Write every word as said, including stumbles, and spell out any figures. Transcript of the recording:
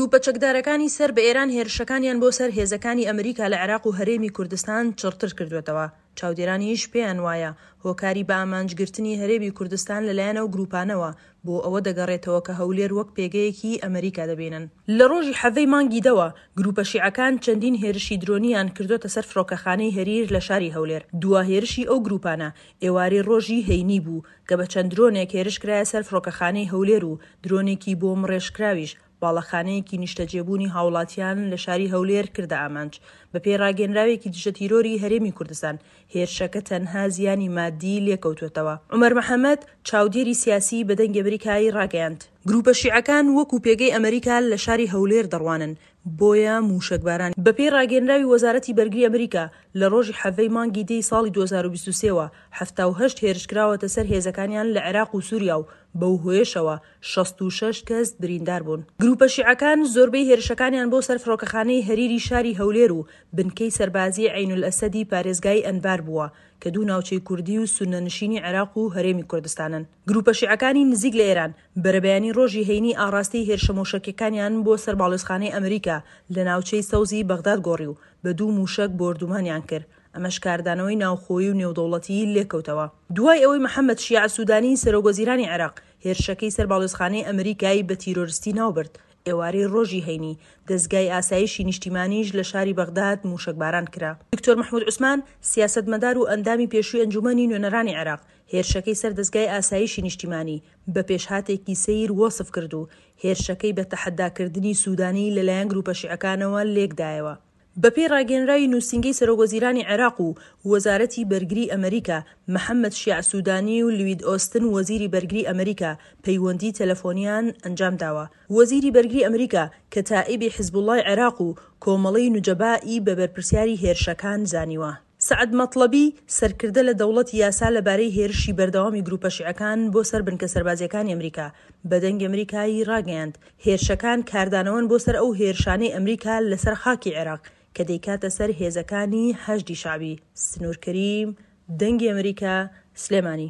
گروپە چەکدارەکانی سەر بە ئێران هێرشەکانیان بۆ سەر هێزەکانی ئەمریکا لە عێراق و هەرێمی کوردستان چڕتر کردووەتەوە. چاودێرانیش پێیان وایە هۆکاری بە ئامانجگرتنی هەرێمی کوردستان لەلایەن ئەو گروپانەوە بۆ ئەوە دەگەڕێتەوە کە هەولێر وەک پێگەیەکی ئەمریکا دەبینن. لە ڕۆژی حەڤەی مانگی دەوە گروپە شیعەکان چەندین هێرشی درۆنیان کردووەتە سەر فڕۆکەخانەی هەریر لە شاری هەولێر. دوا هێرشی ئەو گروپانە ئێوارەی ڕۆژی هەینی بوو کە بە چەند درۆنێک هێرش کرایە سەر فڕۆکەخانەی هەولێر و درۆنێکی بۆمڕێژکراویش باڵەخانەیەکی نیشتەجێبوونی هاوڵاتیان لە شاری هەولێر کردە ئامانج. بەپێی ڕاگەیەنراوێکی دژەتیرۆری هەرێمی کوردستان، هێرشەکە تەنها زیانی مادی لێکەوتووەتەوە. عومەر محەمەد، چاودێری سیاسی بە دەنگی ئەمریکای ڕاگەیاند، گروپە شیعەکان وەکو پێگەی ئەمریکا لە شاری هەولێر دەڕوانن، بۆیە مووشەکباران. بەپێی ڕاگەیەنراوی وەزارەتی بەرگری ئەمریکا، لە ڕۆژی حەڤەی مانگی دەی ساڵی دوو هەزار و بیست و سێ وە حەفتا و هەشت هێرش کراوەتە سەر هێزەکانیان لە عێراق و سوریا و بەو هۆیەشەوە شەست و شەش کەس بریندار بوون. گروپە شیعەکان زۆربەی هێرشەکانیان بۆ سەر فڕۆکەخانەی هەریری شاری هەولێر و بنکەی سەربازی عەینولئەسەدی پارێزگای ئەنبار بووە کە دوو ناوچەی کوردی و سوننەنشینی عێراق و هەرێمی کوردستانن. گروپە شیعەکانی نزیک لە ئێران بەرەبەیانی ڕۆژی هەینی ئاڕاستەی هێرشە مۆشەکیەکانیان بۆ سەر باڵیۆزخانەی ئەمریکا لە ناوچەی سەوزی بەغداد گۆڕی و بە دوو موشەک بۆردومانیان کرد، ئەمەش کاردانەوەی ناوخۆیی و نێودەوڵەتیی لێکەوتەوە. دوای ئەوەی محەمەد شیاع سودانی سەرۆکوەزیرانی عێراق هێرشەکەی سەر باڵیۆزخانەی ئەمریکای بە تیرۆرستی ناوبرد، ئێوارەی ڕۆژی هەینی دەزگای ئاسایشی نیشتیمانیش لە شاری بەغداد موشەکباران کرا. دکتۆر مەحمود عوسمان، سیاسەتمەدار و ئەندامی پێشووی ئەنجومەنی نوێنەرانی عێراق، هێرشەکەی سەر دەزگای ئاسایشی نیشتیمانی بە پێشهاتێکی سەیر وەسف کرد و هێرشەکەی بە تەحەداکردنی سودانی لەلایەن گروپە شیعەکانەوە لێکدایەوە. بەپێی ڕاگەیەنراوی نووسینگەی سەرۆکوەزیرانی عێراق و وەزارەتی بەرگری ئەمریکا، محەمەد شیاع سودانی و لوید ئۆستن وەزیری بەرگری ئەمریکا پەیوەندی تەلەفۆنیان ئەنجامداوە. وەزیری بەرگری ئەمریکا کەتائیبی حزبوڵای عێراق و کۆمەڵەی نوجەبا ی بە بەرپرسیاری هێرشەکان زانیوە. سەعد مەتڵەبی، سەرکردە لە دەوڵەتی یاسا لەبارەی هێرشی بەردەوامی گروپە شیعەکان بۆ سەر بنکە سەربازییەکانی ئەمریکا بە دەنگی ئەمریکای ڕاگەیاند، هێرشەکان کاردانەوەن بۆ سەر ئەو هێرشانەی ئەمریکا لەسەر خاکی عێراق کە دەیکاتە سەر هێزەکانی حەشدی شەعبی. سنوور کەریم، دەنگی ئەمریکا، سلێمانی.